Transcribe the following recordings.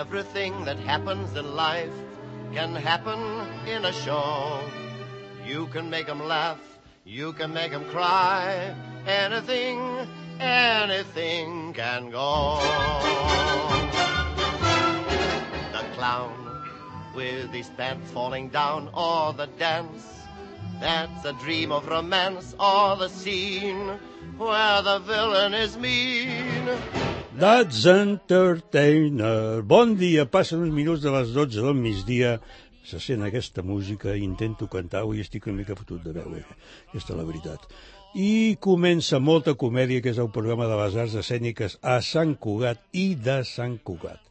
Everything that happens in life can happen in a show. You can make 'em laugh, you can make 'em cry. Anything, anything can go. The clown with his pants falling down, or the dance that's a dream of romance, or the scene where the villain is mean. That's Entertainer. Bon dia, passen uns minuts de les 12 del migdia, se sent aquesta música, intento cantar, avui estic una mica fotut de veu, aquesta és la veritat. I comença Molta Comèdia, que és el programa de les arts escèniques a Sant Cugat i de Sant Cugat.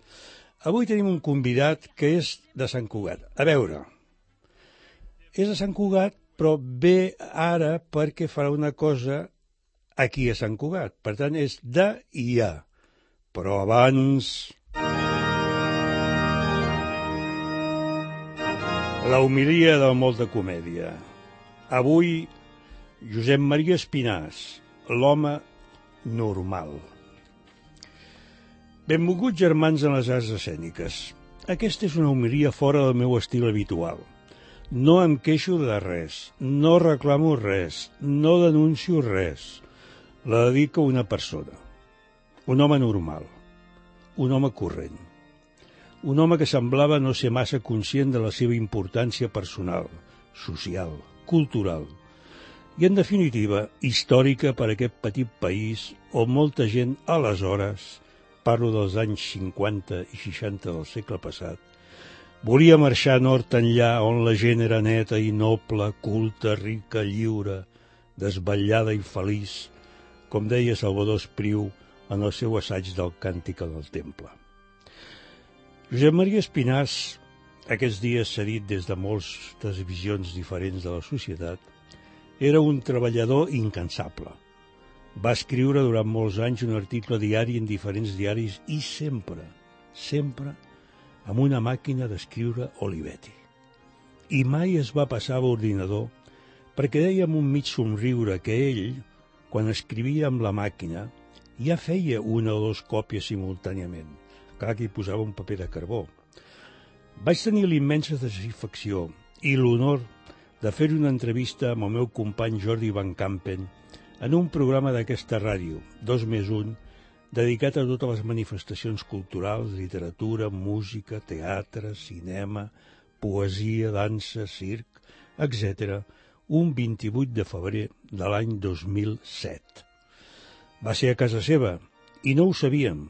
Avui tenim un convidat que és de Sant Cugat. A veure, és de Sant Cugat, però ve ara perquè farà una cosa aquí a Sant Cugat. Per tant, és de i a. Però abans... la homilia de Molta Comèdia. Avui, Josep Maria Espinàs, l'home normal. Benvolguts germans en les arts escèniques. Aquesta és una homilia fora del meu estil habitual. No em queixo de res, no reclamo res, no denuncio res. La dedico a una persona. Un home normal, un home corrent, un home que semblava no ser massa conscient de la seva importància personal, social, cultural i, en definitiva, històrica per a aquest petit país on molta gent, aleshores, parlo dels anys 50 i 60 del segle passat, volia marxar nord enllà on la gent era neta i noble, culta, rica, lliure, desvetllada i feliç, com deia Salvador Espriu en el seu assaig del Càntic del Temple. Josep Maria Espinàs, aquests dies s'ha dit des de moltes visions diferents de la societat, era un treballador incansable. Va escriure durant molts anys un article diari en diferents diaris i sempre amb una màquina d'escriure Olivetti. I mai es va passar a l'ordinador perquè deia amb un mig somriure que ell, quan escrivia amb la màquina, ja feia una o dues còpies simultàniament. Clar que hi posava un paper de carbó. Vaig tenir l'immensa satisfacció i l'honor de fer una entrevista amb el meu company Jordi Van Campen en un programa d'aquesta ràdio, 2+1, dedicat a totes les manifestacions culturals, literatura, música, teatre, cinema, poesia, dansa, circ, etc., un 28 de febrer de l'any 2007. Va ser a casa seva, i no ho sabíem.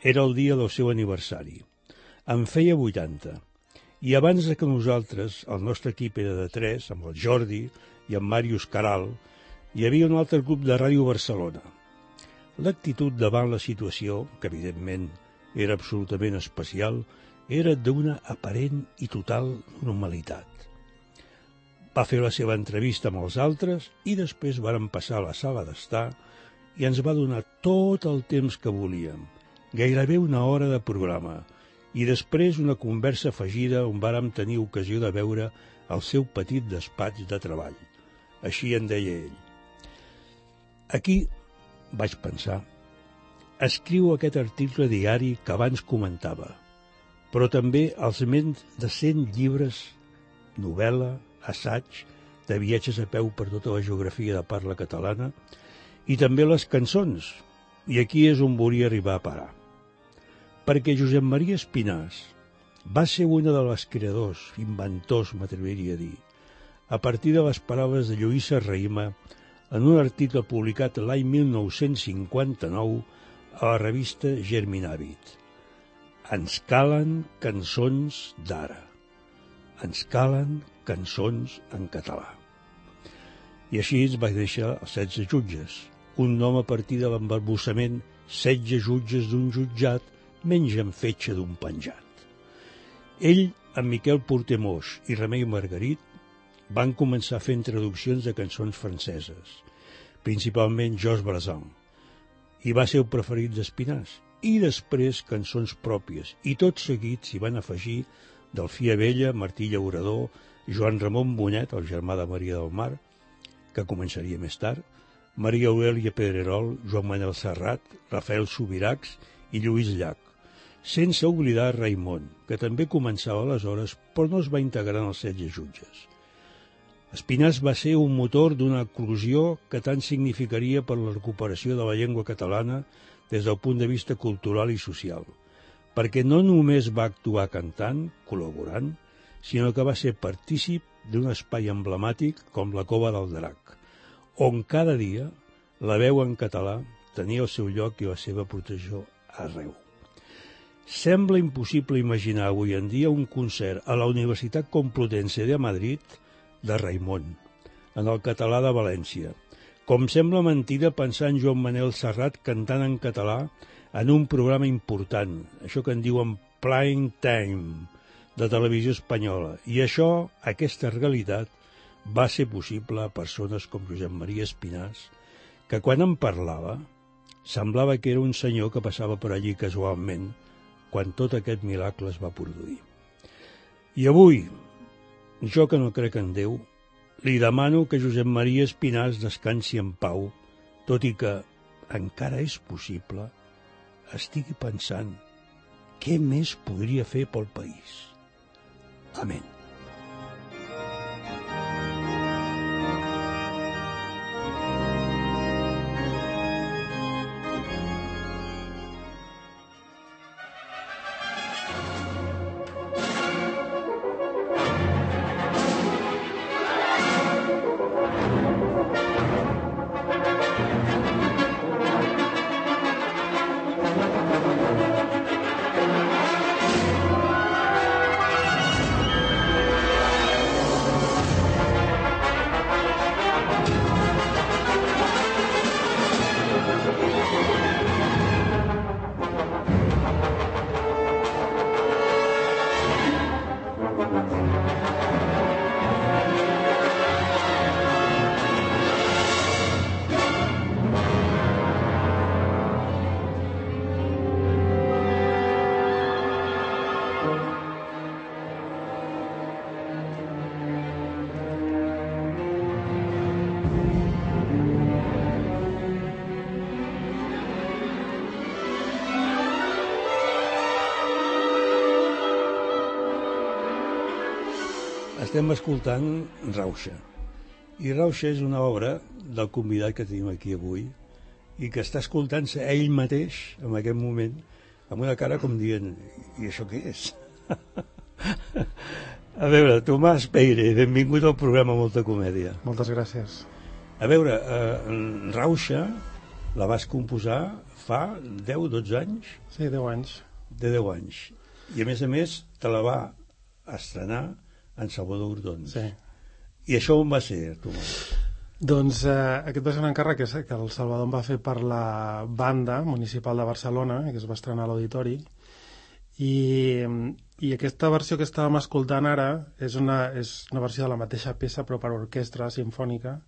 Era el dia del seu aniversari. En feia 80. I abans que nosaltres, el nostre equip era de 3, amb el Jordi i en Màrius Caral, hi havia un altre grup de Ràdio Barcelona. L'actitud davant la situació, que evidentment era absolutament especial, era d'una aparent i total normalitat. Va fer la seva entrevista amb els altres i després varen passar a la sala d'estar i ens va donar tot el temps que volíem, gairebé una hora de programa, i després una conversa afegida on vàrem tenir ocasió de veure el seu petit despatx de treball. Així en deia ell. Aquí, vaig pensar, escriu aquest article diari que abans comentava, però també els més de 100 llibres, novel·la, assaig, de viatges a peu per tota la geografia de parla catalana, i també les cançons, i aquí és on volia arribar a parar. Perquè Josep Maria Espinàs va ser una de les creadors, inventors, m'atreviria a dir, a partir de les paraules de Lluïsa Raïma en un article publicat l'any 1959 a la revista Germinàvit. Ens calen cançons d'ara. Ens calen cançons en català. I així es va deixar els 16 jutges, un nom a partir de l'embarbussament 16 jutges d'un jutjat mengen fetge d'un penjat. Ell, amb Miquel Portemós i Remei Margarit, van començar fent traduccions de cançons franceses, principalment Georges Brassens, i va ser el preferit d'Espinàs, i després cançons pròpies, i tot seguit s'hi van afegir Delfí Abella, Martí Llaurador, Joan Ramon Bonet, el germà de Maria del Mar, que començaria més tard, Maria Aurèlia Pedrerol, Joan Manel Serrat, Rafael Subirachs i Lluís Llach. sense oblidar Raimon, que també començava aleshores, però no es va integrar en els 16 jutges. Espinàs va ser un motor d'una eclosió que tant significaria per la recuperació de la llengua catalana des del punt de vista cultural i social, perquè no només va actuar cantant, col·laborant, sinó que va ser partícip d'un espai emblemàtic com la Cova del Drac, on cada dia la veu en català tenia el seu lloc i la seva protecció arreu. Sembla impossible imaginar avui en dia un concert a la Universitat Complutense de Madrid de Raimon, en el català de València, com sembla mentida pensar en Joan Manel Serrat cantant en català en un programa important, això que en diuen prime time, de televisió espanyola. I això, aquesta realitat, va ser possible a persones com Josep Maria Espinàs, que quan en parlava semblava que era un senyor que passava per allí casualment quan tot aquest miracle es va produir. I avui, jo que no crec en Déu, li demano que Josep Maria Espinàs descansi en pau, tot i que encara és possible, estigui pensant què més podria fer pel país. Amén. Estem escoltant Rauxa. I Rauxa és una obra del convidat que tenim aquí avui i que està escoltant-se ell mateix en aquest moment amb una cara com dient i això què és? A veure, Tomàs Peire, benvingut al programa Molta Comèdia. Moltes gràcies. A veure, Rauxa la vas composar fa 10-12 anys? Sí, 10 anys. De 10 anys. I a més te la va estrenar en Salvador Urdons. Sí. I això on va ser, Tomàs? Doncs aquest va ser un encàrrec que el Salvador em va fer per la banda municipal de Barcelona, que es va estrenar a l'Auditori, i aquesta versió que estàvem escoltant ara és una versió de la mateixa peça però per orquestra simfònica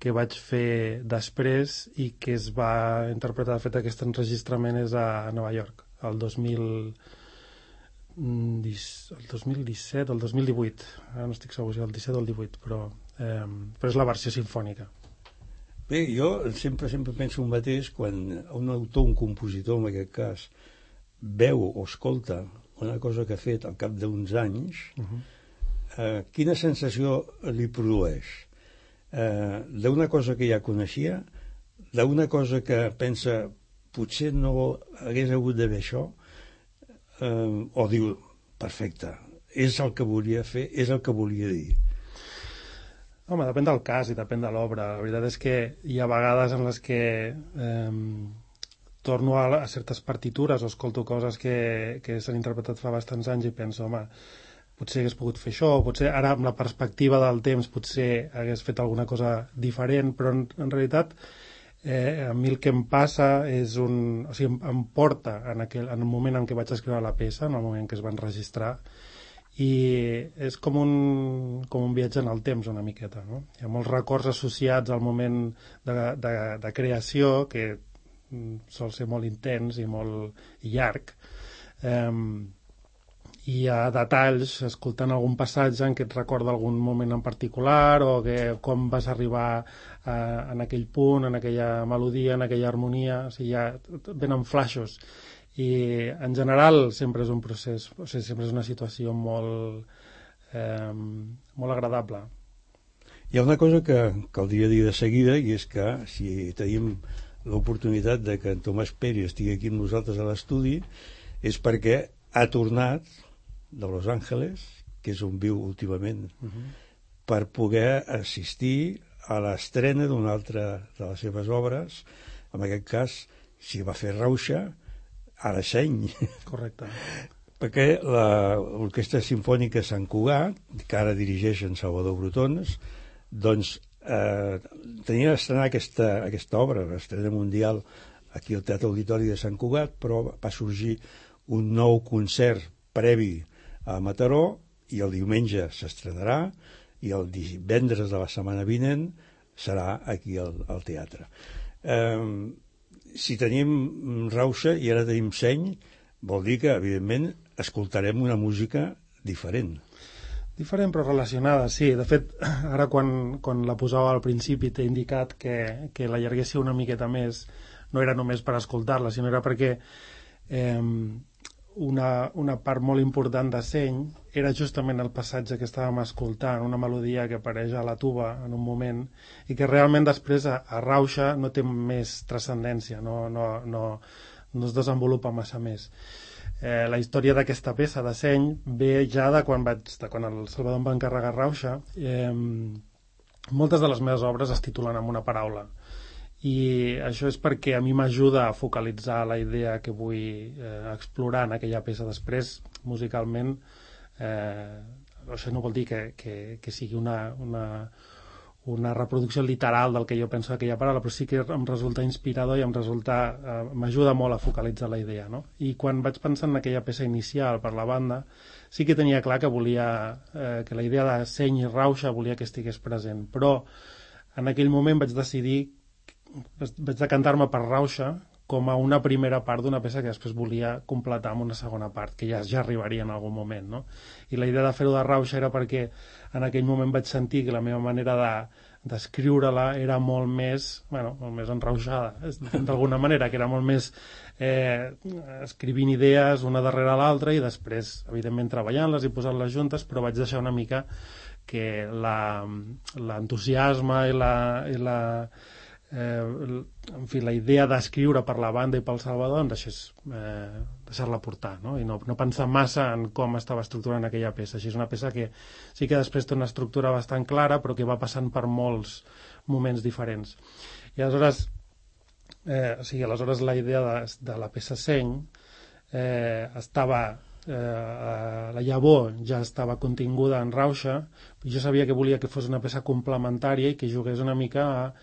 que vaig fer després i que es va interpretar. De fet, aquest enregistrament és a Nova York, el 2017 o el 2018, ara no estic segur si el 17 o el 18, però és la versió sinfònica. Bé, jo sempre penso el mateix quan un autor, un compositor en aquest cas, veu o escolta una cosa que ha fet al cap d'uns anys, quina sensació li produeix? D'una cosa que ja coneixia, d'una cosa que pensa potser no hagués hagut d'haver això, o diu, perfecte, és el que volia fer, és el que volia dir. Home, depèn del cas i depèn de l'obra. La veritat és que hi ha vegades en les que torno a certes partitures o escolto coses que s'han interpretat fa bastants anys i penso, home, potser hagués pogut fer això, o potser ara amb la perspectiva del temps potser hagués fet alguna cosa diferent, però en realitat a mi el que em passa és o sigui, em porta en el moment en què vaig escriure la peça, en el moment que es va enregistrar, i és com un viatge en el temps una miqueta, no? Hi ha molts records associats al moment de creació que sol ser molt intens i molt llarg, i hi ha detalls, escoltant algun passatge en què et recorda algun moment en particular o com vas arribar en aquell punt, en aquella melodia, en aquella harmonia, o sigui, venen flaixos. I en general sempre és un procés, o sigui, sempre és una situació molt agradable. Hi ha una cosa que caldria dir de seguida, i és que si tenim l'oportunitat de que en Tomàs Peri estigui aquí amb nosaltres a l'estudi és perquè ha tornat de Los Angeles, que és on viu últimament, per poder assistir a l'estrena d'una altra de les seves obres, en aquest cas si va fer Rauxa, ara Seny. Correcte. Perquè l'Orquestra Simfònica Sant Cugat, que ara dirigeix en Salvador Brotons, doncs tenia d'estrenar aquesta obra, l'estrena mundial aquí al Teatre Auditori de Sant Cugat, però va sorgir un nou concert previ a Mataró i el diumenge s'estrenarà i el divendres de la setmana vinent serà aquí al teatre. Si tenim Rauxa i ara tenim Seny, vol dir que, evidentment, escoltarem una música diferent. Diferent però relacionada, sí. De fet, ara quan la posava al principi t'he indicat que l'allarguessi una miqueta més. No era només per escoltar-la, sinó era perquè una part molt important de Seny era justament el passatge que estàvem escoltant, una melodia que apareix a la tuba en un moment i que realment després a Rauxa no té més transcendència, no es desenvolupa massa més. La història d'aquesta peça de Seny ve ja de quan el Salvador em va encarregar Rauxa. Moltes de les meves obres es titulen amb una paraula i això és perquè a mi m'ajuda a focalitzar la idea que vull explorar en aquella peça. Després, musicalment, això no vol dir que sigui una reproducció literal del que jo penso d'aquella paraula, però sí que em resulta inspirador i m'ajuda molt a focalitzar la idea, no? I quan vaig pensar en aquella peça inicial per la banda, sí que tenia clar que volia que la idea de Seny i Rauxa volia que estigués present, però en aquell moment vaig decantar-me per Rauxa com a una primera part d'una peça que després volia completar amb una segona part, que ja arribaria en algun moment, no? I la idea de fer-ho de Rauxa era perquè en aquell moment vaig sentir que la meva manera d'escriure-la era molt més enrauxada, d'alguna manera, que era molt més escrivint idees una darrere l'altra i després, evidentment, treballant-les i posant-les juntes, però vaig deixar una mica que l'entusiasme i la idea d'escriure per la banda i pel Salvador em deixar-la portar, no? I no pensar massa en com estava estructurant aquella peça. Així és una peça que sí que després té una estructura bastant clara però que va passant per molts moments diferents. I aleshores la idea de la peça Seny la llavor ja estava continguda en Rauxa i jo sabia que volia que fos una peça complementària i que jugués una mica a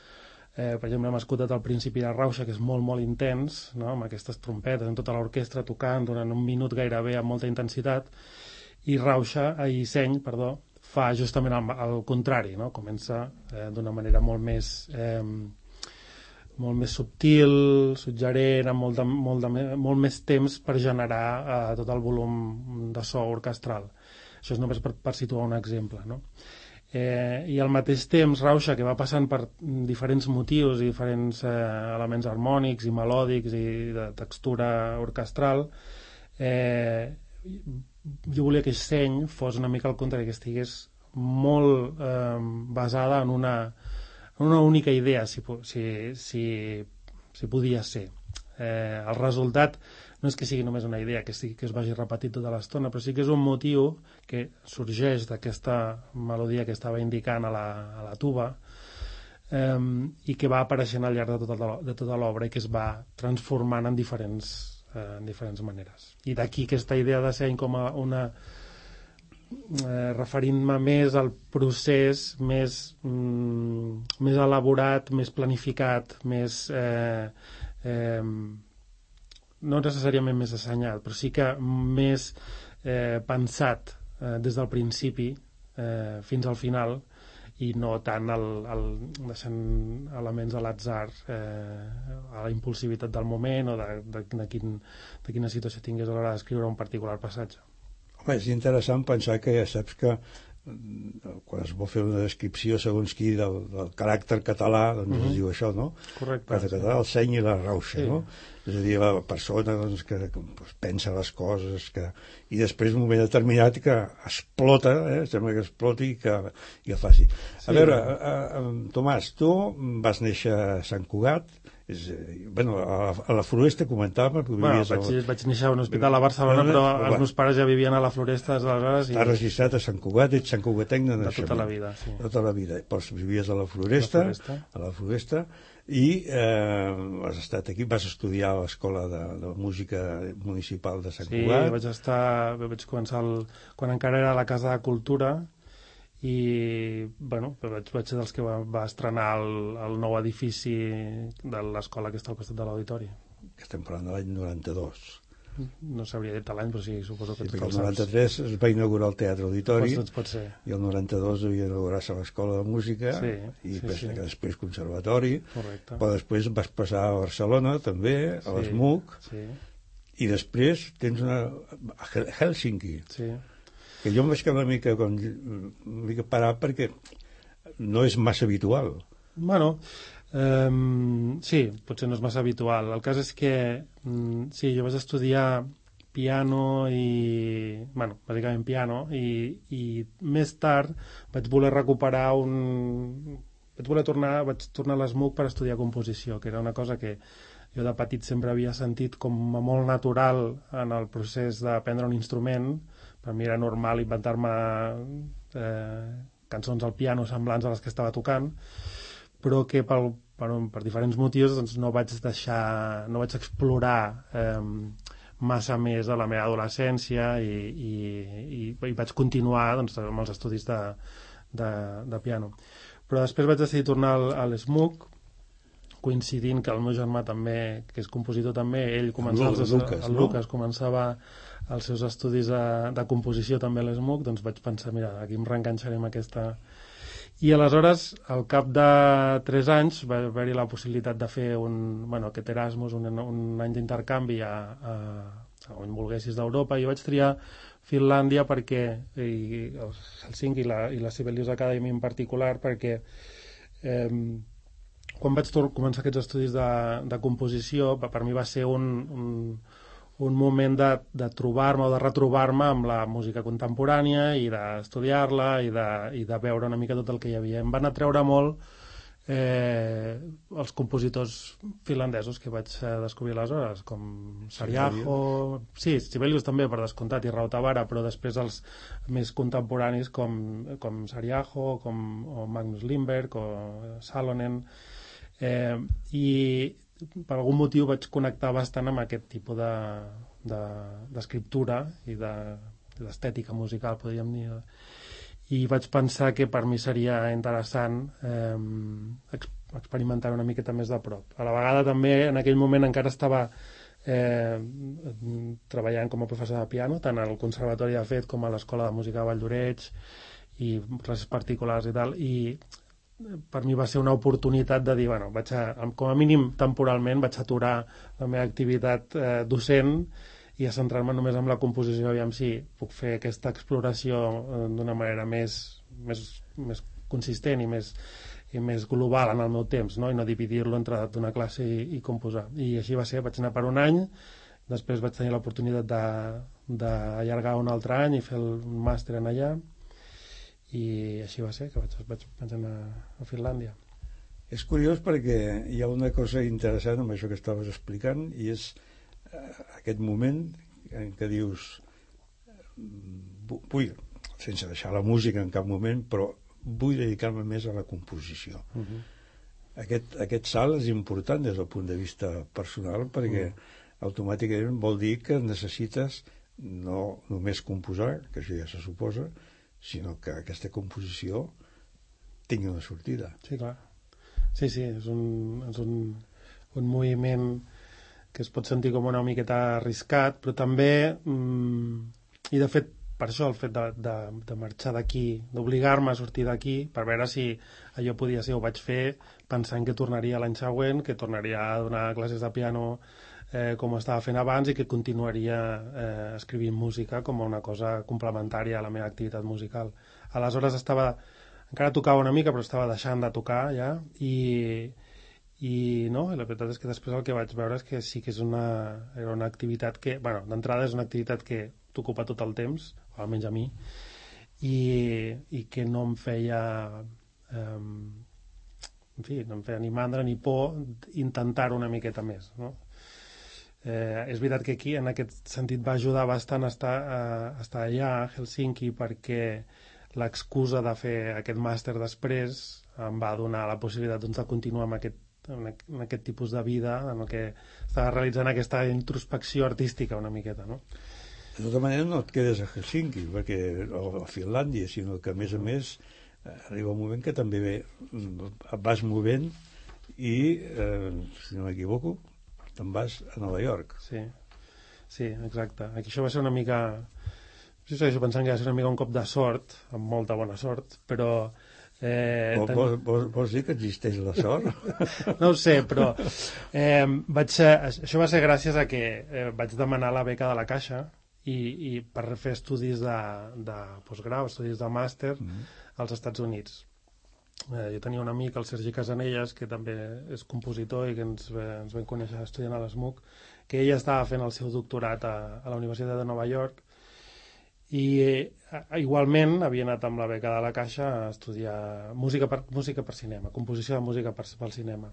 per exemple, hem escoltat al principi de Rauxa, que és molt, molt intens, no? Amb aquestes trompetes, amb tota l'orquestra tocant durant un minut gairebé amb molta intensitat, i Seny fa justament el contrari, no? Comença d'una manera molt més subtil, suggerent, amb molt més temps per generar tot el volum de so orquestral. Això és només per situar un exemple, no? I al mateix temps Rauxa, que va passant per diferents motius i diferents elements harmònics i melòdics i de textura orquestral, jo volia que Seny fos una mica al contrari, que estigués molt basada en una única idea, si podia ser. El resultat no és que sigui només una idea que es vagi repetint tota l'estona, però sí que és un motiu que sorgeix d'aquesta melodia que estava indicant a la tuba i que va apareixent al llarg de tota l'obra i que es va transformant en diferents maneres. I d'aquí aquesta idea de Seny com a referint-me més al procés més elaborat, més planificat, més no necessàriament més assenyat, però sí que més pensat des del principi fins al final i no tant deixant elements a l'atzar a la impulsivitat del moment o de quina situació tingués a l'hora d'escriure un particular passatge. Home, és interessant pensar que ja saps que quan es vol fer una descripció segons qui del caràcter català, doncs es diu això, no? Correcte. El català, el Seny i la Rauxa, sí. No? És a dir, la persona doncs, que pensa les coses, i després un moment determinat que explota, sembla que exploti i que faci. A veure, Tomàs, tu vas néixer a Sant Cugat, a la Floresta comentàvem... Vaig néixer a un hospital a Barcelona, però els meus pares ja vivien a la Floresta des d'aleshores. T'has registrat a Sant Cugat, ets Sant Cugatenc de naixement. De tota la vida, sí. Tota la vida. Però vivies a la Floresta, i has estat aquí, vas estudiar a l'Escola de Música Municipal de Sant Cugat. Sí, vaig començar quan encara era a la Casa de Cultura, i vaig ser dels que va estrenar el nou edifici de l'escola que està al costat de l'auditori. Que estem parlant de l'any 92. No sabria dir l'any, però sí, suposo que el 93 es va inaugurar el Teatre Auditori, doncs pot ser. I el 92 havia inaugurat-se l'Escola de Música, després Conservatori. Correcte. Però després vas passar a Barcelona també, a l'ESMUC, i després tens a Hèlsinki. Sí. Que jo em vaig quedar una mica parat perquè no és massa habitual. Sí, potser no és massa habitual. El cas és que sí, jo vaig estudiar piano bàsicament piano, i més tard vaig voler tornar a l'ESMUC per estudiar composició, que era una cosa que jo de petit sempre havia sentit com a molt natural en el procés d'aprendre un instrument. Per mi era normal inventar-me cançons al piano semblants a les que estava tocant, però que per diferents motius doncs, no vaig explorar massa més a la meva adolescència i vaig continuar doncs, amb els estudis de piano. Però després vaig decidir tornar a l'ESMUC, coincidint que el meu germà també, que és compositor també, ell començava Lucas començava els seus estudis de composició també a l'ESMUC, doncs vaig pensar, mira, aquí em reenganxaré amb aquesta. I aleshores, al cap de 3 anys, va haver-hi la possibilitat de fer aquest Erasmus, un any d'intercanvi on volguessis d'Europa, i vaig triar Finlàndia perquè, i Helsinki i la Sibelius Academy en particular, perquè quan vaig començar aquests estudis de composició, per mi va ser un moment de trobar-me o de retrobar-me amb la música contemporània i d'estudiar-la i de veure una mica tot el que hi havia. Em van atreure molt els compositors finlandesos que vaig descobrir aleshores, com Sariaho, sí, Sibelius també, per descomptat, i Rautavaara, però després els més contemporanis com Sariaho, o Magnus Lindberg, o Salonen, i per algun motiu vaig connectar bastant amb aquest tipus d'escriptura i d'estètica musical, podríem dir, i vaig pensar que per mi seria interessant experimentar una miqueta més de prop. A la vegada també en aquell moment encara estava treballant com a professor de piano, tant al Conservatori de Fet com a l'Escola de Música de Valldoreix i classes particulars i tal, i per mi va ser una oportunitat de dir, com a mínim temporalment vaig aturar la meva activitat docent i a centrar-me només en la composició, aviam si puc fer aquesta exploració d'una manera més consistent i més global en el meu temps, no? I no dividir-lo entre una classe i composar. I així va ser, vaig anar per un any, després vaig tenir l'oportunitat d'allargar un altre any i fer un màster en allà, i així va ser, que vaig anar a Finlàndia. És curiós perquè hi ha una cosa interessant amb això que estaves explicant, i és aquest moment en què dius vull, sense deixar la música en cap moment, però vull dedicar-me més a la composició. Aquest salt és important des del punt de vista personal, perquè automàticament vol dir que necessites no només composar, que això ja se suposa, sinó que aquesta composició tingui una sortida. Sí, clar. Sí, és un moviment que es pot sentir com una miqueta arriscat, però també, i de fet, per això el fet de marxar d'aquí, d'obligar-me a sortir d'aquí, per veure si allò podia ser, ho vaig fer pensant que tornaria l'any següent, que tornaria a donar classes de piano com estava fent abans i que continuaria escrivint música com una cosa complementària a la meva activitat musical. Aleshores encara tocava una mica, però estava deixant de tocar ja, I no, la veritat és que després el que vaig veure és que sí que era una activitat que, bueno, d'entrada és una activitat que t'ocupa tot el temps, o almenys a mi, i que no em feia en fi, no em feia ni mandra ni por intentar una miqueta més, no? És veritat que aquí en aquest sentit va ajudar bastant a estar allà a Helsinki, perquè l'excusa de fer aquest màster després em va donar la possibilitat, doncs, de continuar amb en aquest tipus de vida en el que estava realitzant aquesta introspecció artística una miqueta, no? De tota manera no et quedes a Helsinki o a Finlàndia, sinó que a més arriba un moment que també et vas movent i, si no m'equivoco, te'n vas a Nova York. Sí, exacte. Aquí això va ser una mica... Jo segueixo pensant que va ser una mica un cop de sort, amb molta bona sort, però... Vols dir que existeix la sort? No ho sé, però això va ser gràcies a que vaig demanar la beca de la Caixa i per fer estudis de postgrau, estudis de màster als Estats Units. Jo tenia un amic, el Sergi Casanellas, que també és compositor i que ens vam conèixer estudiant a l'ESMUC, que ell estava fent el seu doctorat a la Universitat de Nova York i igualment havia anat amb la beca de la Caixa a estudiar música per cinema, composició de música pel cinema.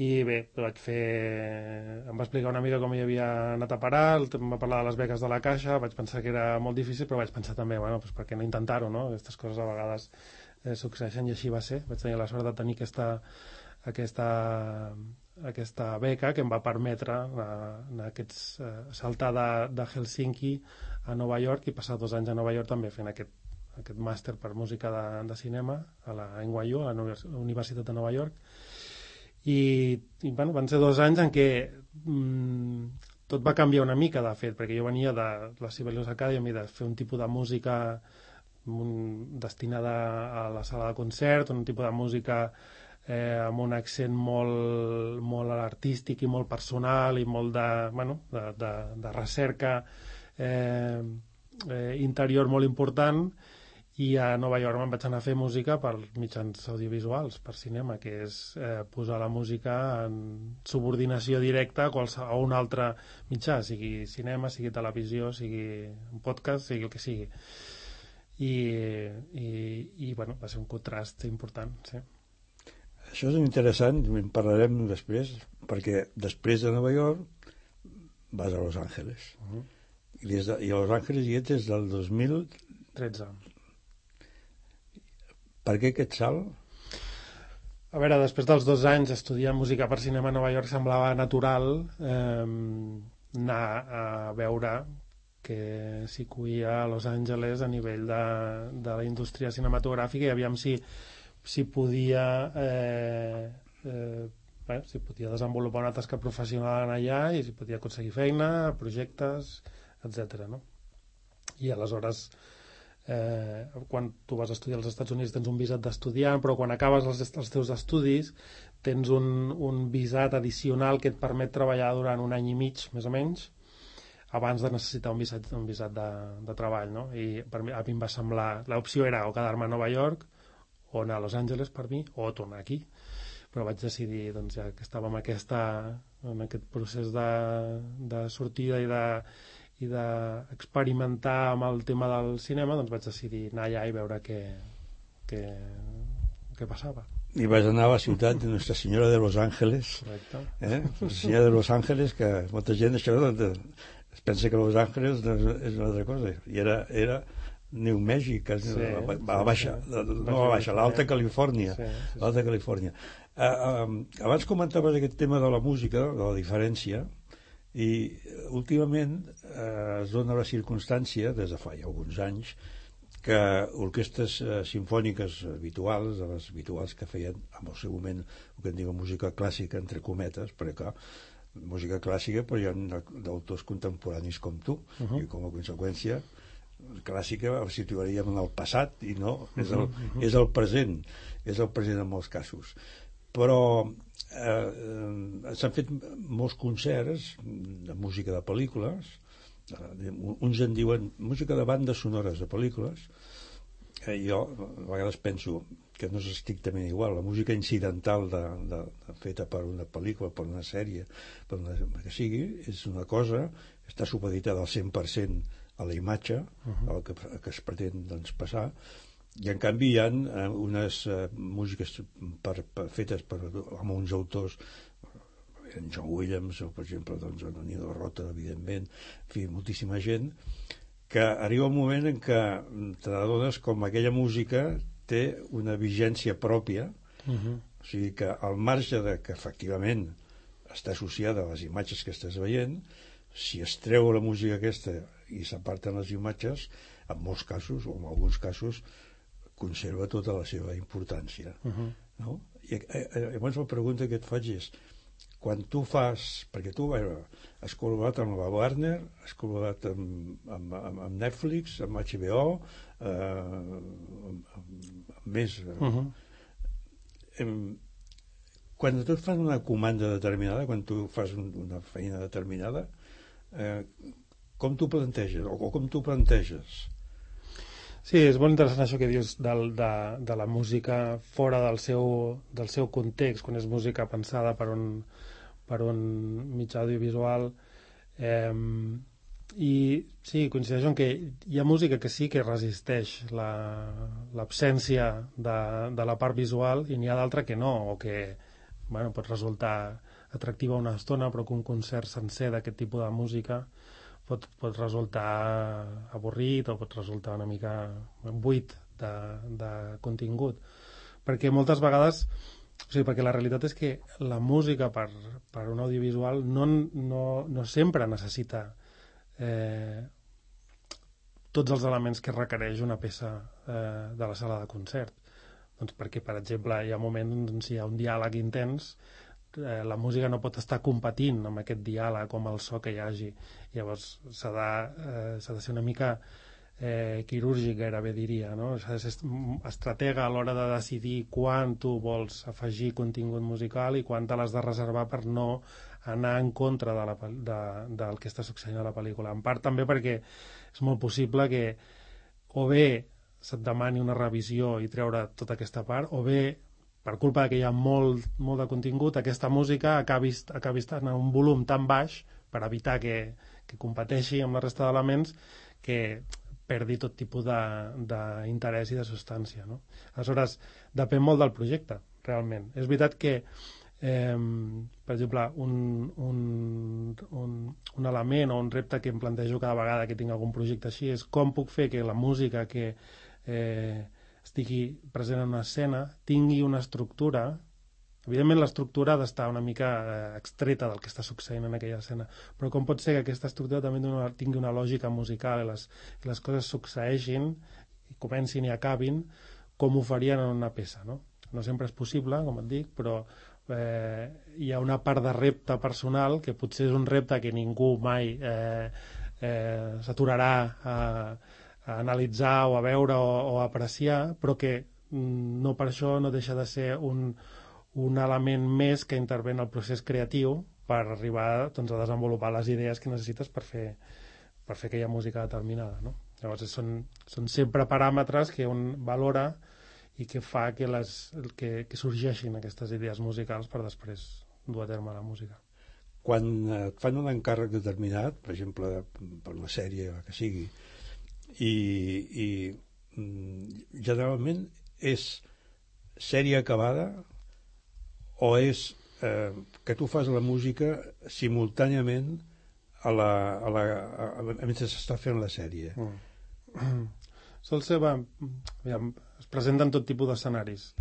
I bé, em va explicar una mica com hi havia anat a parar, em va parlar de les beques de la Caixa, vaig pensar que era molt difícil, però vaig pensar també, bueno, doncs per què no intentar-ho, no? Aquestes coses a vegades succeeixen i així va ser. Vaig tenir la sort de tenir aquesta beca que em va permetre saltar de Helsinki a Nova York i passar 2 anys a Nova York també fent aquest màster per música de cinema a la NYU, a la Universitat de Nova York. I bueno, van ser 2 anys en què tot va canviar una mica, de fet, perquè jo venia de la Sibelius Academy de fer un tipus de música destinada a la sala de concert, un tipus de música amb un accent molt artístic i molt personal i molt de recerca interior molt important, i a Nova York me'n vaig anar a fer música per mitjans audiovisuals, per cinema, que és posar la música en subordinació directa a un altre mitjà, sigui cinema, sigui televisió, sigui un podcast, sigui el que sigui. I bueno, va ser un contrast important, sí. Això és interessant, en parlarem després, perquè després de Nova York vas a Los Angeles. I a Los Angeles hi ets des del 2013. Per què aquest salt? A veure, després dels 2 anys estudiant música per cinema a Nova York semblava natural anar a veure que s'hi cuia a Los Angeles a nivell de la indústria cinematogràfica i aviam si podia si podia desenvolupar una tasca professional allà i si podia aconseguir feina, projectes, etc. No? I aleshores quan tu vas a estudiar als Estats Units tens un visat d'estudiant, però quan acabes els teus estudis tens un visat addicional que et permet treballar durant 1 any i mig, més o menys, abans de necessitar un visat de treball, no? I a mi em va semblar, l'opció era o quedar-me a Nova York o anar a Los Angeles per mi, o tornar aquí, però vaig decidir, doncs, ja que estàvem en aquest procés de sortida i d'experimentar amb el tema del cinema, doncs vaig decidir anar allà i veure què passava. I vas anar a la ciutat de Nuestra Senyora de Los Ángeles. Correcte. Nuestra Senyora de Los Ángeles, que molta gent això es pensa que Los Ángeles és una altra cosa, i era New Mèxic, l'Alta Califòrnia. L'Alta Califòrnia. Abans comentaves aquest tema de la música, de la diferència, i últimament es dona la circumstància, des de fa ja alguns anys, que orquestres simfòniques habituals, de les habituals que feien en el seu moment el que en diuen música clàssica, entre cometes, perquè música clàssica, però hi ha d'autors contemporanis com tu, i com a conseqüència clàssica el situaríem en el passat i no, és el present en molts casos. Però s'han fet molts concerts de música de pel·lícules, uns en diuen música de bandes sonores de pel·lícules, jo a vegades penso que no és estrictament igual. La música incidental feta per una pel·lícula, per una sèrie, per una que sigui, és una cosa que està supeditada al 100% a la imatge, el que es pretén doncs, passar, i en canvi hi ha unes músiques fetes amb uns autors, en John Williams o per exemple doncs, en Nino Rota, evidentment, en fi, moltíssima gent, que arriba un moment en què te n'adones com aquella música té una vigència pròpia, o sigui que al marge de que efectivament està associada a les imatges que estàs veient, si es treu la música aquesta i s'aparten les imatges, en molts casos o en alguns casos conserva tota la seva importància. No? I llavors la pregunta que et faig és, quan tu fas, perquè tu has col·laborat amb la Warner, has col·laborat amb Netflix, amb HBO, amb més... Quan tu fas una comanda determinada, quan tu fas una feina determinada, com t'ho planteges, o com t'ho planteges? Sí, és molt interessant això que dius de la música fora del seu context, quan és música pensada per un mitjà audiovisual. I sí, coincideixo en que hi ha música que sí que resisteix l'absència de la part visual i n'hi ha d'altra que no, o que pot resultar atractiva una estona, però que un concert sencer d'aquest tipus de música pot resultar avorrit o pot resultar una mica buit de contingut, perquè moltes vegades, o sigui, perquè la realitat és que la música per un audiovisual no sempre necessita tots els elements que requereix una peça de la sala de concert, doncs perquè, per exemple, hi ha moments on hi ha un diàleg intens, la música no pot estar competint amb aquest diàleg o amb el so que hi hagi. Llavors s'ha de ser una mica quirúrgic, gairebé diria, no? S'ha de ser estratega a l'hora de decidir quan tu vols afegir contingut musical i quan te l'has de reservar per no anar en contra del que està succeint a la pel·lícula. En part també perquè és molt possible que o bé se't demani una revisió i treure tota aquesta part, o bé per culpa que hi ha molt de contingut, aquesta música acabi estant en un volum tan baix per evitar que competeixi amb la resta d'elements que perdi tot tipus d'interès i de substància, no? Aleshores, depèn molt del projecte, realment. És veritat que, per exemple, un element o un repte que em plantejo cada vegada que tinc algun projecte així és com puc fer que la música que estigui present en una escena tingui una estructura. Evidentment l'estructura ha d'estar una mica extreta del que està succeint en aquella escena, però com pot ser que aquesta estructura també tingui una lògica musical i les coses succeeixin i comencin i acabin com ho farien en una peça, no? No sempre és possible, com et dic, però hi ha una part de repte personal que potser és un repte que ningú mai s'aturarà a analitzar o a veure o a apreciar, però que no per això no deixa de ser un element més que intervé en el procés creatiu per arribar doncs, a desenvolupar les idees que necessites per fer aquella música determinada, no? Llavors són sempre paràmetres que un valora i que fa que sorgeixin aquestes idees musicals per després dur a terme la música. Quan et fan un encàrrec determinat, per exemple per una sèrie que sigui, i generalment és sèrie acabada o és que tu fas la música simultàniament mentre s'està fent la sèrie. Sol ser, es presenten tot tipus d'escenaris.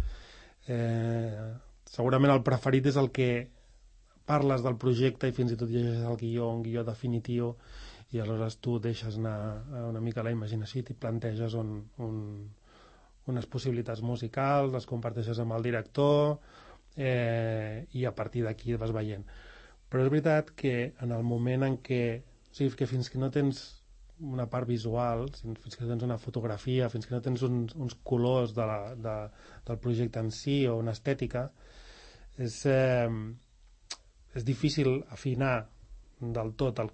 Segurament el preferit és el que parles del projecte i fins i tot llegeixes el guió, un guió definitiu, i aleshores tu deixes anar una mica la imaginació i t'hi planteges unes possibilitats musicals, les comparteixes amb el director i a partir d'aquí vas veient. Però és veritat que en el moment en què, o sigui, que fins que no tens una part visual, fins que no tens una fotografia, fins que no tens uns colors del projecte en si o una estètica, és difícil afinar del tot el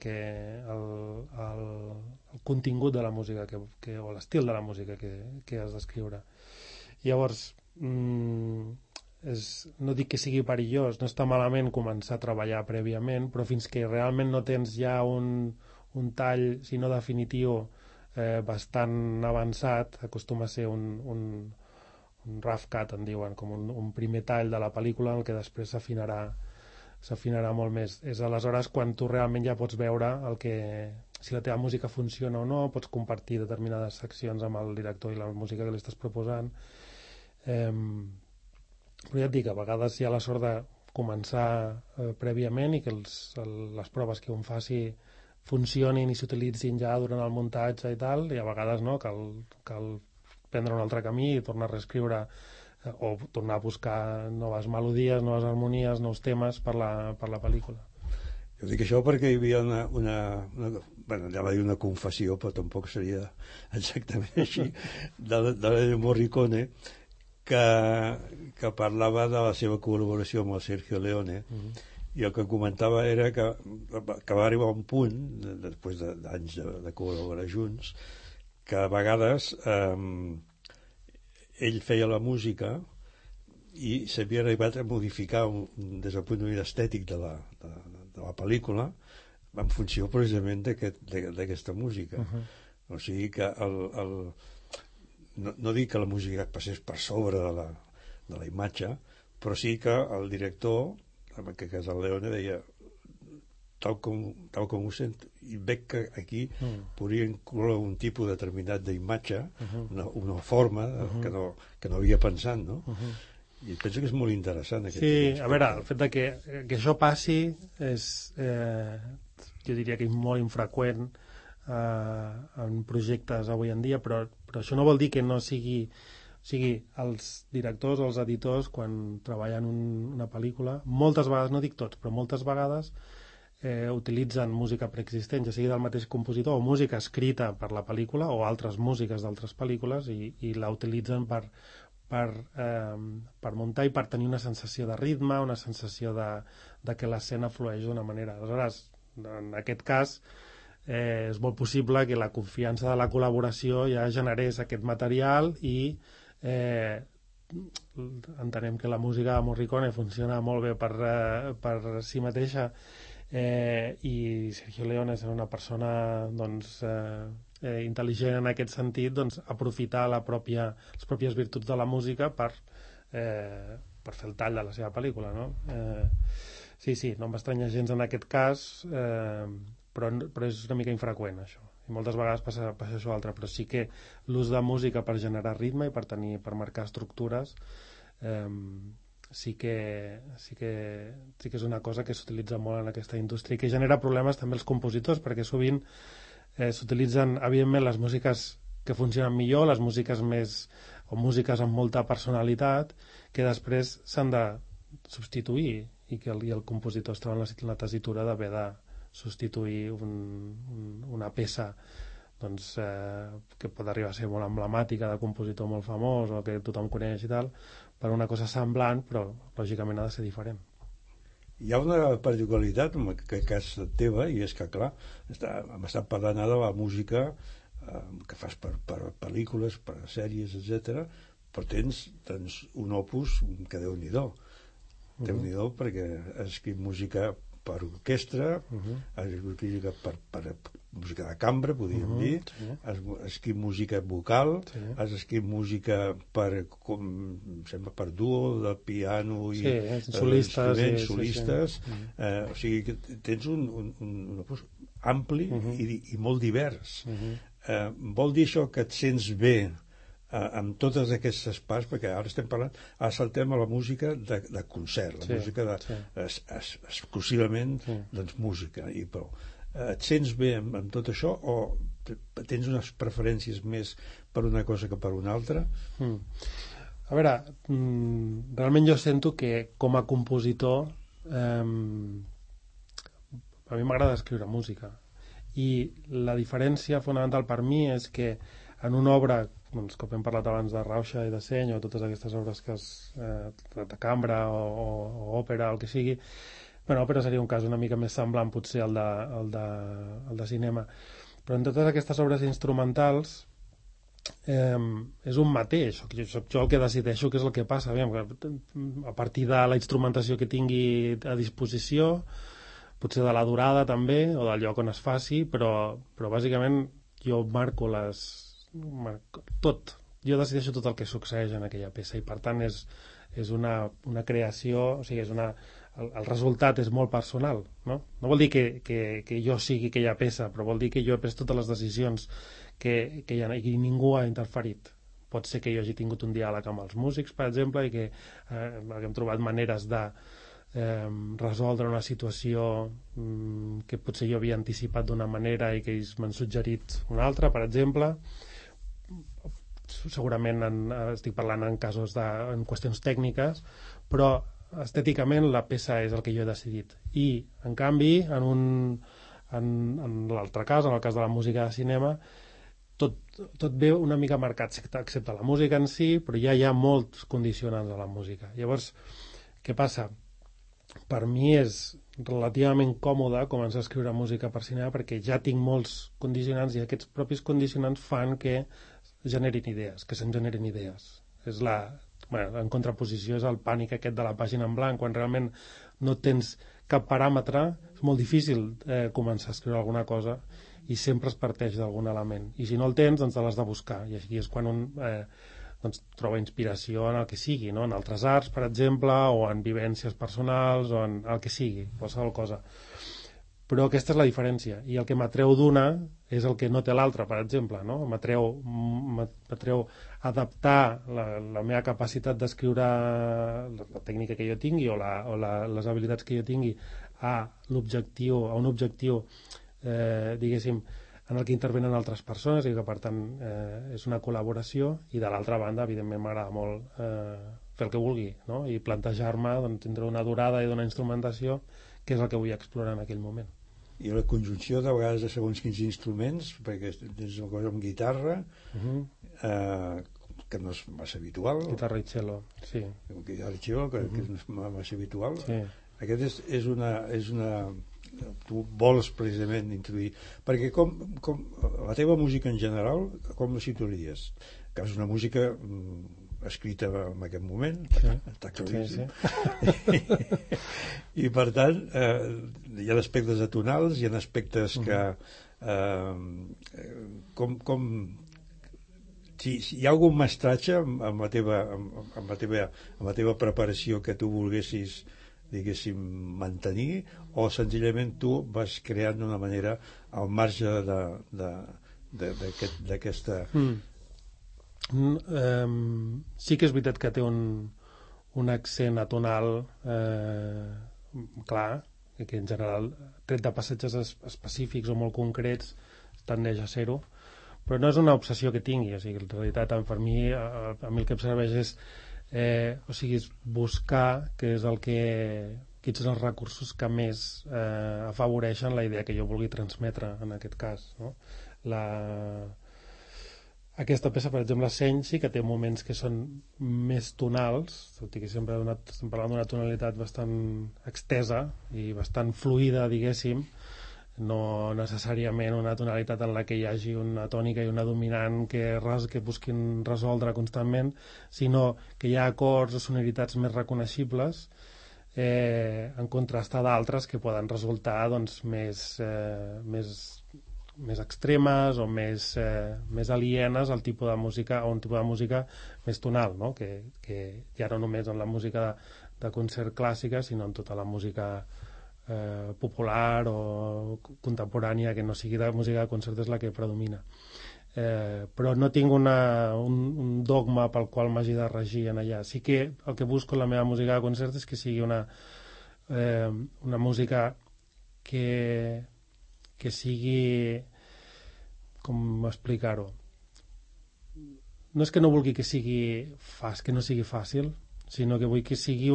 contingut de la música o l'estil de la música que has d'escriure. Llavors, no dic que sigui perillós, no està malament començar a treballar prèviament, però fins que realment no tens ja un tall, si no definitiu, bastant avançat, acostuma a ser un rough cut, en diuen, com un primer tall de la pel·lícula en el que després s'afinarà molt més. És aleshores quan tu realment ja pots veure si la teva música funciona o no, pots compartir determinades seccions amb el director i la música que li estàs proposant. Però ja et dic, a vegades hi ha la sort de començar prèviament i que les proves que un faci funcionin i s'utilitzin ja durant el muntatge i tal, i a vegades no, cal prendre un altre camí i tornar a reescriure o tornar a buscar noves melodies, noves harmonies, nous temes per la pel·lícula. Jo dic això perquè hi havia bueno, anava a dir una confessió, però tampoc seria exactament així, de Morricone, que parlava de la seva col·laboració amb el Sergio Leone, i el que comentava era que va arribar a un punt, després d'anys de col·laborar junts, que a vegades ell feia la música i s'havia arribat a modificar des del punt de vista estètic de la pel·lícula en funció precisament d'aquesta música. O sigui que no dic que la música passés per sobre de la imatge, però sí que el director, en aquest cas el Leone, deia tal com ho sento, i veig que aquí podria incloure un tipus determinat d'imatge, una forma que no havia pensat, no? I penso que és molt interessant. Sí, a veure, el fet de que això passi és, jo diria que és molt infreqüent en projectes avui en dia, però això no vol dir que no sigui... O sigui, els directors o els editors, quan treballen una pel·lícula, moltes vegades, no dic tots, però moltes vegades utilitzen música preexistent, ja sigui del mateix compositor o música escrita per la pel·lícula o altres músiques d'altres pel·lícules i la utilitzen per muntar i per tenir una sensació de ritme, una sensació de que l'escena flueix d'una manera. Aleshores, en aquest cas, és molt possible que la confiança de la col·laboració ja generés aquest material i entenem que la música de Morricone funciona molt bé per si mateixa i Sergio Leone és una persona doncs, intel·ligent en aquest sentit, doncs, aprofitar les pròpies virtuts de la música per fer el tall de la seva pel·lícula, no? Sí, no m'estranya gens en aquest cas, però és una mica infreqüent això, i moltes vegades passa això altre, però sí que l'ús de música per generar ritme i per marcar estructures sí que és una cosa que s'utilitza molt en aquesta indústria i que genera problemes també als compositors, perquè sovint s'utilitzen evidentment les músiques que funcionen millor, les músiques o músiques amb molta personalitat, que després s'han de substituir i el compositor es troba en la tessitura d'haver de substituir una peça doncs, que pot arribar a ser molt emblemàtica de compositor molt famós o que tothom coneix i tal, per una cosa semblant, però lògicament ha de ser diferent. Hi ha una particularitat en aquest cas teva, i és que clar, hem estat parlant de la música que fas per pel·lícules, per sèries, etc. Però tens un opus que Déu-n'hi-do. Déu-n'hi-do, perquè has escrit música per orquestra, has escrit per música de cambra, podríem dir, has escrit música vocal, has escrit música per duo, de piano i solistes, o sigui que tens un opus ampli i molt divers. Vol dir això que et sents bé amb totes aquestes parts, perquè ara estem parlant, ara saltem a la música de concert, la música exclusivament música i prou. Et sents bé amb tot això o tens unes preferències més per una cosa que per una altra? A veure, realment jo sento que com a compositor a mi m'agrada escriure música i la diferència fonamental per mi és que en una obra, doncs, com hem parlat abans de Rauxa i de Seny o totes aquestes obres de cambra o òpera o el que sigui, bueno, òpera seria un cas una mica més semblant potser al de cinema, però en totes aquestes obres instrumentals és un mateix. Soc jo el que decideixo què és el que passa. A partir de la instrumentació que tingui a disposició, potser de la durada també, o del lloc on es faci, però bàsicament jo marco tot. Jo decideixo tot el que succeeix en aquella peça i per tant és una creació, o sigui, el resultat és molt personal, no? No vol dir que jo sigui aquella peça, però vol dir que jo he pres totes les decisions que i ningú ha interferit. Pot ser que jo hagi tingut un diàleg amb els músics, per exemple, i que haguem trobat maneres de resoldre una situació que potser jo havia anticipat d'una manera i que ells m'han suggerit una altra, per exemple. Segurament estic parlant en qüestions tècniques, però estèticament la peça és el que jo he decidit. I, en canvi, en l'altre cas, en el cas de la música de cinema, tot ve una mica marcat, excepte la música en si, però ja hi ha molts condicionants a la música. Llavors, què passa? Per mi és relativament còmode començar a escriure música per cinema perquè ja tinc molts condicionants i aquests propis condicionants fan que generin idees, que se'n generin idees. En contraposició és el pànic aquest de la pàgina en blanc, quan realment no tens cap paràmetre, és molt difícil començar a escriure alguna cosa i sempre es parteix d'algun element. I si no el tens, doncs te l'has de buscar. I així és quan un troba inspiració en el que sigui, no? En altres arts, per exemple, o en vivències personals, o en el que sigui, qualsevol cosa. Però aquesta és la diferència. I el que m'atreu d'una és el que no té l'altra, per exemple, no? M'atreu adaptar la meva capacitat d'escriure, la tècnica que jo tingui o les habilitats que jo tingui a un objectiu diguéssim, en el que intervenen altres persones i que per tant és una col·laboració, i de l'altra banda evidentment m'agrada molt fer el que vulgui, no? I plantejar-me tindre una durada i una instrumentació que és el que vull explorar en aquell moment. I la conjunció de vegades de segons quins instruments, perquè tens una cosa amb guitarra que no és massa habitual, guitarra i cello, sí. Guitarra i cello, que no és massa habitual, sí. Aquest és una tu vols precisament introduir, perquè com la teva música en general, com la situaries? Que és una música escrita en aquest moment, està claríssim. Sí. I per tant hi ha aspectes atonals, hi ha aspectes que si hi ha algun mestratge amb la teva preparació que tu volguessis, diguéssim, mantenir, o senzillament tu vas creant d'una manera al marge d'aquesta... Sí que és veritat que té un accent atonal clar, que en general, tret de passatges específics o molt concrets, tendeix a ser-ho, però no és una obsessió que tingui. O sigui, en realitat, per mi, a mi el que em serveix és és buscar quins són els recursos que més afavoreixen la idea que jo vulgui transmetre en aquest cas, no? Aquesta peça, per exemple, Seny, sí que té moments que són més tonals, tot i que sempre estem parlant d'una tonalitat bastant extesa i bastant fluida, diguéssim, no necessàriament una tonalitat en la que hi hagi una tònica i una dominant que busquin resoldre constantment, sinó que hi ha acords o sonoritats més reconeixibles en contrast a d'altres que poden resultar doncs, més extremes o més alienes al tipus de música, o un tipus de música més tonal, no? Que ja no només en la música de concert clàssica, sinó en tota la música popular o contemporània que no sigui de música de concert és la que predomina. Però no tinc un dogma pel qual m'hagi de regir en allà. Sí que el que busco en la meva música de concert és que sigui una música que sigui, com explicar-ho, no és que no vulgui que no sigui fàcil, sinó que vull que sigui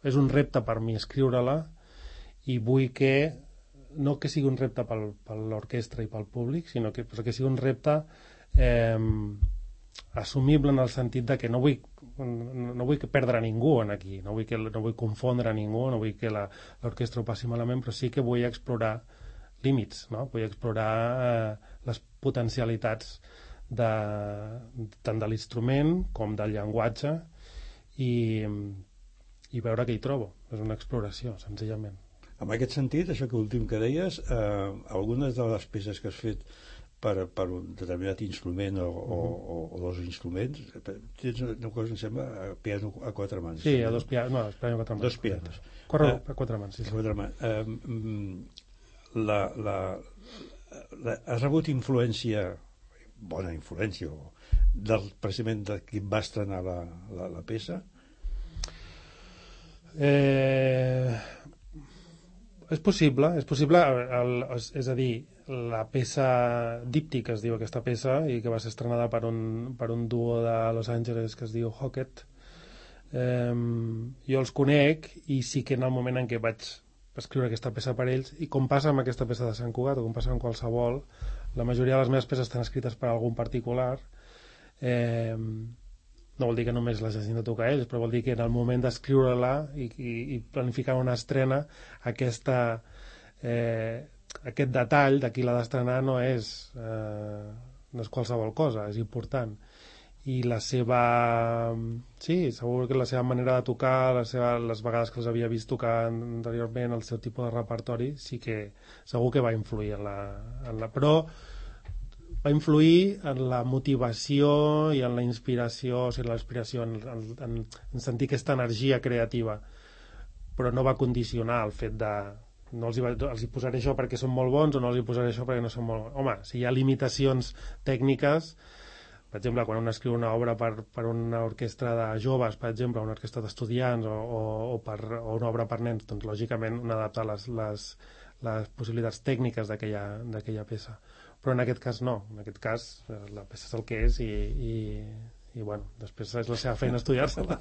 és un repte per mi escriure-la, i vull no que sigui un repte per l'orquestra i pel públic, sinó que sigui un repte assumible en el sentit de que no vull perdre ningú aquí, no vull confondre ningú, no vull que l'orquestra ho passi malament, però sí que vull explorar límits, no? Vull explorar les potencialitats tant de l'instrument com del llenguatge i veure què hi trobo. És una exploració, senzillament. En aquest sentit, això que últim que deies, algunes de les peces que has fet per un determinat instrument o dos instruments, tens una cosa, em sembla, piano a quatre mans. Sí, a dos pianos, no, piano a quatre mans. Dos pianos. A quatre mans, sí. A quatre mans. Has rebut influència, bona influència, precisament de qui va estrenar la peça? És possible, és a dir, la peça díptic, es diu aquesta peça, i que va ser estrenada per un duo de Los Angeles que es diu Hocket. Jo els conec i sí que en el moment en què vaig escriure aquesta peça per ells, i com passa amb aquesta peça de Sant Cugat o com passa amb qualsevol, la majoria de les meves peces estan escrites per algun particular. No vol dir que només les hagin de tocar ells, però vol dir que en el moment d'escriure-la i planificar una estrena, aquest detall de qui l'ha d'estrenar no és qualsevol cosa, és important. I la seva... Sí, segur que la seva manera de tocar, les vegades que els havia vist tocar anteriorment, el seu tipus de repertori, sí que segur que va influir però va influir en la motivació i en la inspiració, o sigui, la inspiració en sentir aquesta energia creativa, però no va condicionar el fet de no els hi posaré això perquè són molt bons o no els hi posaré això perquè no són molt bons. Home, si hi ha limitacions tècniques, per exemple, quan un escriu una obra per una orquestra de joves, per exemple, una orquestra d'estudiants o una obra per nens, doncs lògicament un adapta les possibilitats tècniques d'aquella peça. Però en aquest cas no, en aquest cas la peça és el que és i bueno, després és la seva feina estudiar-se-la.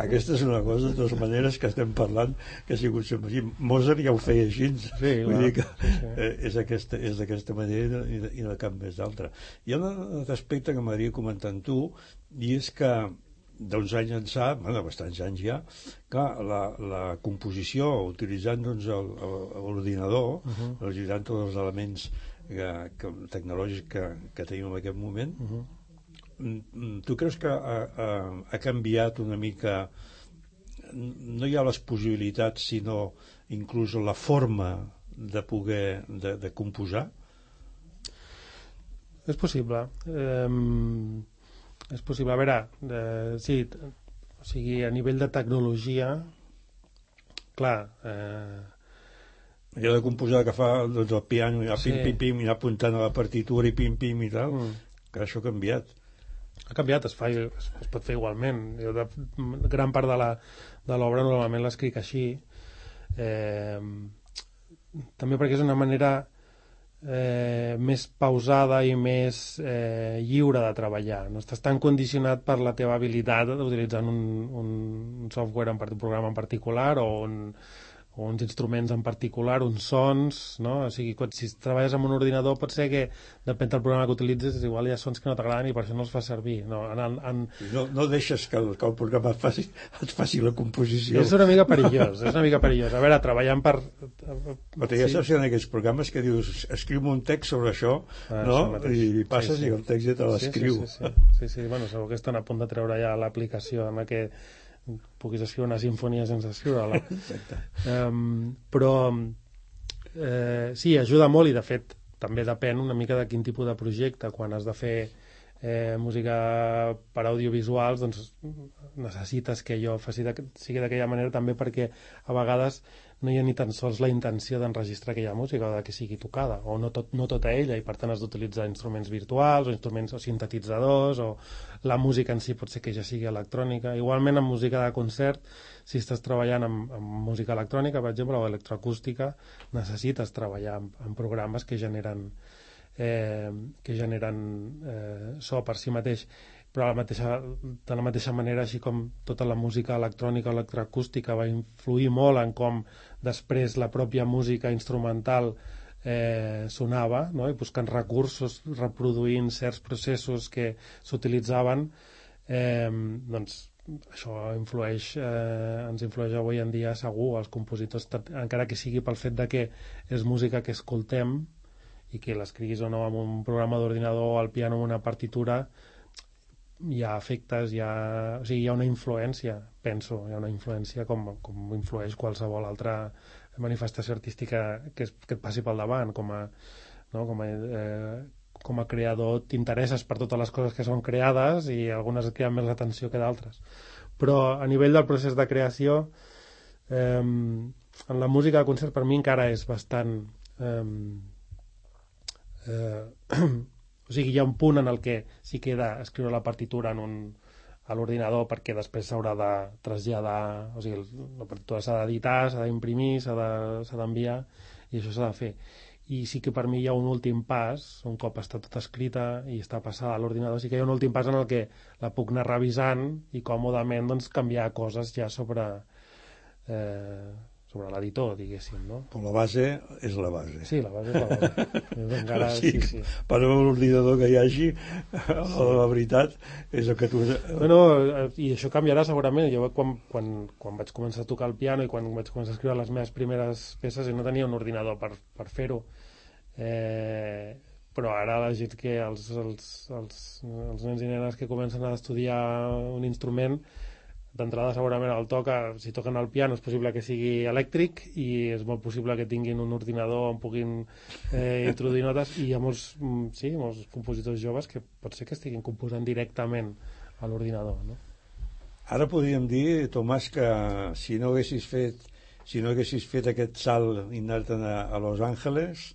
Aquesta és una cosa, de totes maneres, que estem parlant que ha sigut sempre. Mozart ja ho feia així, sí, vull dir que és d'aquesta manera i de cap més d'altra. Hi ha un altre aspecte que m'agradaria comentar amb tu, i és que d'uns anys ençà, bastants anys ja, que la composició utilitzant l'ordinador, utilitzant tots els elements tecnològics que tenim en aquest moment, tu creus que ha canviat una mica, no hi ha les possibilitats sinó inclús la forma de poder de composar? És possible. És possible. A veure, sí, o sigui, a nivell de tecnologia, clar... Allò de composar que fa el piano, i pim-pim-pim, i anar apuntant a la partitura i pim-pim i tal, que això ha canviat. Ha canviat, es pot fer igualment. Jo gran part de l'obra normalment l'escric així, també perquè és una manera més pausada i més lliure de treballar. No estàs tan condicionat per la teva habilitat utilitzant un software, un programa en particular o uns instruments en particular, uns sons, no? O sigui, si treballes amb un ordinador pot ser que, depèn del programa que utilitzes, igual hi ha sons que no t'agraden i per això no els fas servir. No deixes que el programa et faci la composició. És una mica perillós, A veure, treballant per... Però ja saps que en aquests programes que dius escriu un text sobre això, no? I passes i el text ja te l'escriu. Sí, bueno, segur que estan a punt de treure ja l'aplicació en la que puguis escriure una sinfonia sense escriure-la. Però sí, ajuda molt i de fet també depèn una mica de quin tipus de projecte. Quan has de fer música per audiovisuals, doncs necessites que allò sigui d'aquella manera també perquè a vegades no hi ha ni tan sols la intenció d'enregistrar aquella música o de que sigui tocada, o no tota ella, i per tant has d'utilitzar instruments virtuals o instruments o sintetitzadors, o la música en si pot ser que ja sigui electrònica. Igualment amb música de concert, si estàs treballant amb música electrònica, per exemple, o electroacústica, necessites treballar amb programes que generen so per si mateix, però de la mateixa manera, així com tota la música electrònica o electroacústica va influir molt en com després la pròpia música instrumental sonava, no? I buscant recursos, reproduint certs processos que s'utilitzaven, doncs això ens influeix avui en dia segur als compositors, encara que sigui pel fet de que és música que escoltem i que l'escriguis o no amb un programa d'ordinador o al piano amb una partitura, hi ha efectes, hi ha una influència, penso, hi ha una influència com influeix qualsevol altra manifestació artística que et passi pel davant, com a creador t'interesses per totes les coses que són creades i algunes et criden més l'atenció que d'altres. Però a nivell del procés de creació, en la música de concert per mi encara és bastant... o sigui, hi ha un punt en el que sí que he d'escriure la partitura a l'ordinador perquè després s'haurà de traslladar, o sigui, la partitura s'ha d'editar, s'ha d'imprimir, s'ha d'enviar, i això s'ha de fer. I sí que per mi hi ha un últim pas, un cop està tot escrita i està passada a l'ordinador, sí que hi ha un últim pas en el que la puc anar revisant i còmodament doncs, canviar coses ja sobre l'editor, diguéssim, no? Però la base és la base. Sí, la base és la base. Encara, sí. Per l'ordinador que hi hagi, la veritat és el que tu... Bueno, i això canviarà segurament. Jo quan vaig començar a tocar el piano i quan vaig començar a escriure les meves primeres peces no tenia un ordinador per fer-ho. Però ara la gent que els nens i nenes que comencen a estudiar un instrument, d'entrada segurament el toca, si toquen el piano és possible que sigui elèctric i és molt possible que tinguin un ordinador on puguin introduir notes, i hi ha molts compositors joves que pot ser que estiguin composant directament a l'ordinador, no? Ara podríem dir, Tomàs, que si no haguessis fet aquest salt i anar-te'n a Los Angeles,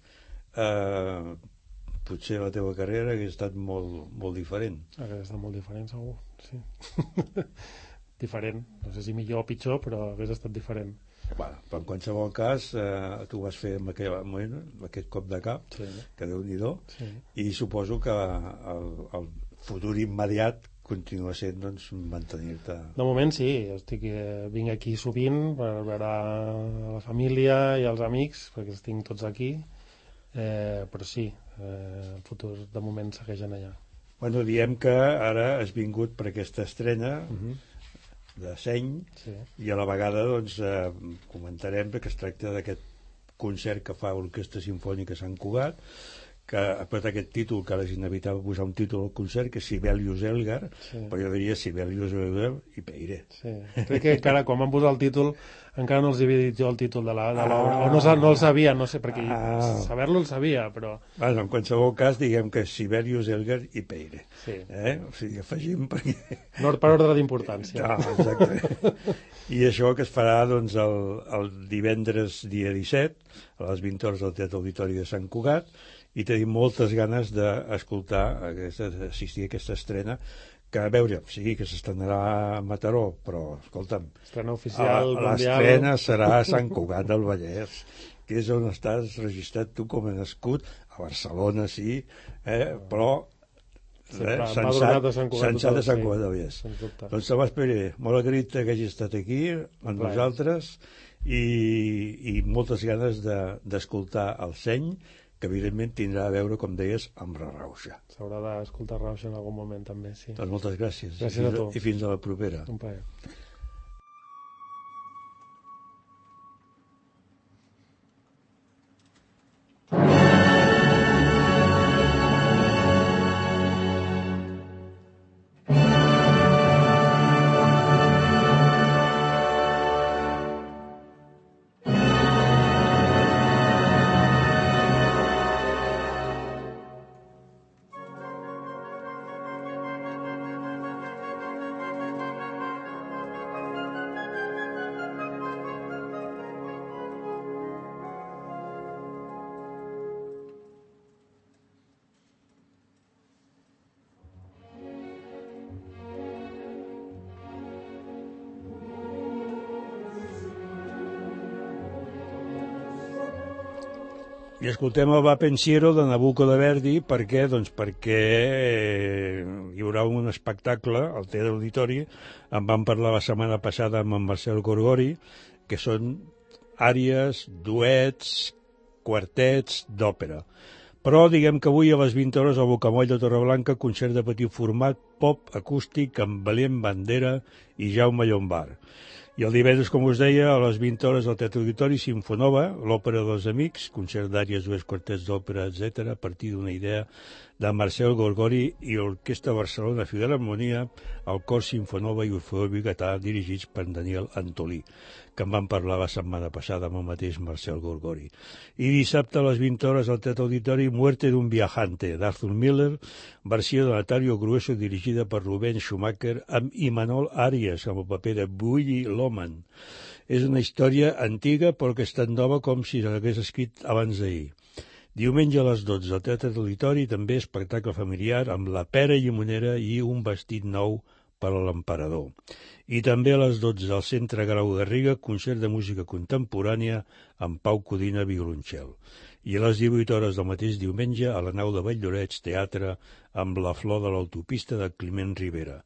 potser la teva carrera hagués estat molt, molt diferent. Hagués estat molt diferent, segur, sí. Diferent, no sé si millor o pitjor, però hagués estat diferent. Bueno, però en qualsevol cas tu vas fer en aquell moment aquest cop de cap, sí, que Déu-n'hi-do, sí. I suposo que el futur immediat continua sent, doncs, mantenir-te... De moment sí, vinc aquí sovint per veure la família i els amics, perquè els tinc tots aquí, però sí, el futur de moment segueix allà. Bueno, diem que ara has vingut per aquesta estrena de Seny, sí. I a la vegada doncs, comentarem que es tracta d'aquest concert que fa l'Orquestra Simfònica Sant Cugat, que ha posat aquest títol, que ara és inevitable posar un títol al concert, que és Sibelius Elgar, sí. Però jo diria Sibelius Elgar i Peire. Sí. Crec que encara quan van posar el títol encara no els havia dit jo el títol de l'obra, o no el sabia, no sé, perquè saber-lo el sabia, però... Bueno, en qualsevol cas, diguem que Sibelius Elgar i Peire. Sí. O sigui, afegim perquè... No per ordre d'importància. No, exacte. I això que es farà doncs, el divendres dia 17, a les 20 hores al Teatre Auditori de Sant Cugat, i tenim moltes ganes d'escoltar, d'assistir a aquesta estrena, que a veure, sí, que s'estrenarà a Mataró, però, escolta'm, estrena oficial, l'estrena serà a Sant Cugat del Vallès, que és on estàs registrat tu com a nascut, a Barcelona sí, però Sensat de Sant Cugat del Vallès. Doncs Tomàs Pere, molt agraït que hagis estat aquí amb nosaltres i moltes ganes d'escoltar el Seny, que evidentment tindrà a veure, com deies, amb la Rauxa. S'haurà d'escoltar Rauxa en algun moment també, sí. Doncs moltes gràcies. Gràcies a tu. I fins a la propera. Un plaer. I escoltem el Va Pensiero de Nabucco de Verdi. Per què? Doncs perquè hi haurà un espectacle al Teatre Auditori. En vam parlar la setmana passada amb en Marcel Gorgori, que són àries, duets, quartets d'òpera. Però diguem que avui a les 20 hores al Bocamoll de Torreblanca, concert de petit format, pop acústic amb Belén Bandera i Jaume Llombard. I el divendres, com us deia, a les 20 hores al Teatre Auditori, Sinfonova, l'òpera dels amics, concert d'àries, dues quartets d'òpera, etc., a partir d'una idea de Marcel Gorgori i l'Orquestra Barcelona Filharmonia, el Cor Sinfonova i Orfeó Vigatà, dirigits per Daniel Antolí, que en van parlar la setmana passada amb el mateix Marcel Gorgori. I dissabte a les 20 hores al Teatre Auditori, Muerte d'un viajante, d'Arthur Miller, versió de Natario Grueso, dirigida per Rubén Schumacher, amb Imanol Arias, amb el paper de Willy Loman. És una història antiga, però que és tan nova com si l'hagués escrit abans d'ahir. Diumenge a les 12 al Teatre Auditori, també espectacle familiar amb La pera llimonera i un vestit nou per a l'emperador. I també a les 12 al Centre Grau Garriga, concert de música contemporània amb Pau Codina, violoncel. I a les 18 hores del mateix diumenge a la nau de Valldoreix, teatre amb La flor de l'autopista de Climent Rivera.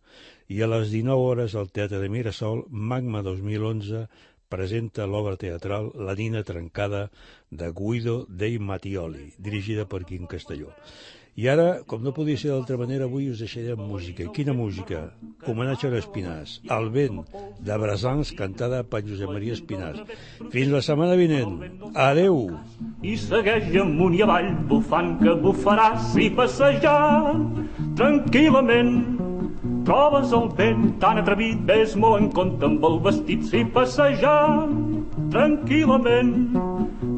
I a les 19 hores al Teatre de Mirasol, Magma 2011, presenta l'obra teatral La nina trencada de Guido dei Mattioli, dirigida per Quim Castelló. I ara, com no podia ser d'altra manera, avui us deixaré amb música. I quina música? Homenatge a l'Espinàs. El vent, de Brassans, cantada per Josep Maria Espinàs. Fins la setmana vinent. Adeu! I segueix amunt i avall, bufant que bufaràs i passejant tranquil·lament. Trobes el vent tan atrevit, ves molt en compte amb el vestit, si passejant tranquil·lament.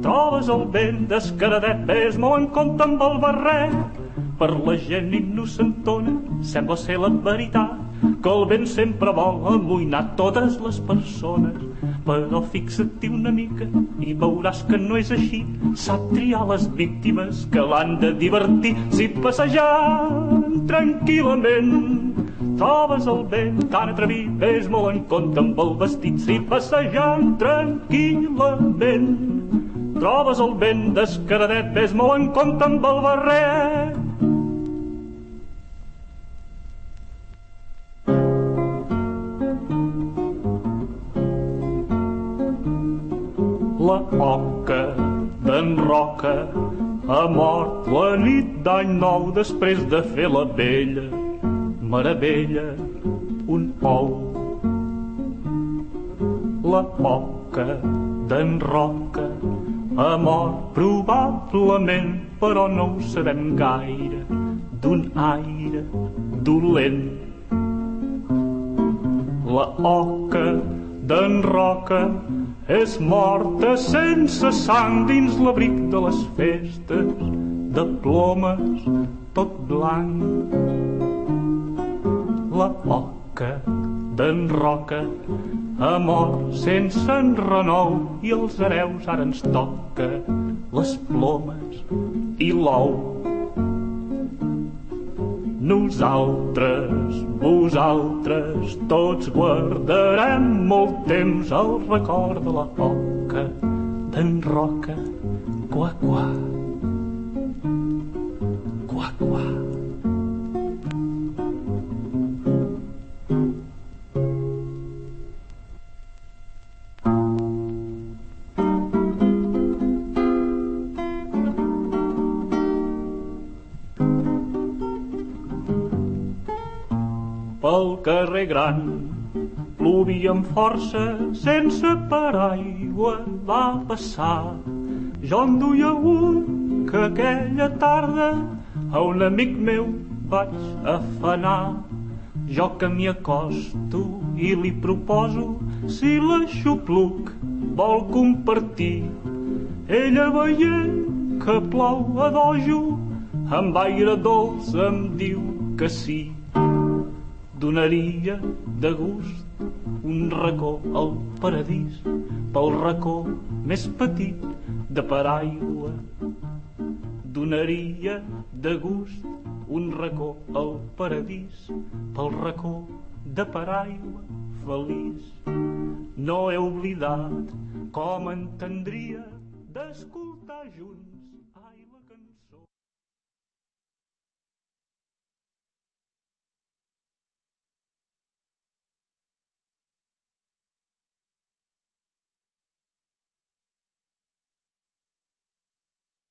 Trobes el vent descaradet, ves molt en compte amb el barret. Per la gent innocentona sembla ser la veritat que el vent sempre vol amoïnar totes les persones. Però fixa't-hi una mica i veuràs que no és així. Sap triar les víctimes que l'han de divertir. Si passejant tranquil·lament trobes el vent tan atrevit, ves molt en compte amb el vestit. Si passejant tranquil·lament trobes el vent descaradet, ves molt en compte amb el barret. La oca d'en Roca ha mort la nit d'any nou després de fer la vella meravella un ou. La oca d'en Roca ha mort probablement, però no ho sabem gaire, d'un aire dolent. La oca d'en Roca és morta sense sang dins l'abric de les festes, de plomes tot blanc. La oca d'en Roca ha mort sense enrenou i els hereus ara ens toca les plomes i l'ou. Nosaltres, vosaltres, tots guardarem molt temps el record de la oca d'en Roca. Qua, qua, qua, qua. Pel carrer gran plovia amb força, sense paraigua va passar. Jo en duia un que aquella tarda a un amic meu vaig afanar. Jo que m'hi acosto i li proposo si l'aixopluc vol compartir. Ella veient que plou a dojo, amb aire dolç em diu que sí. Donaria de gust un racó al paradís, pel racó més petit de paraigua. Donaria de gust un racó al paradís, pel racó de paraigua feliç. No he oblidat com entendria d'escoltar junts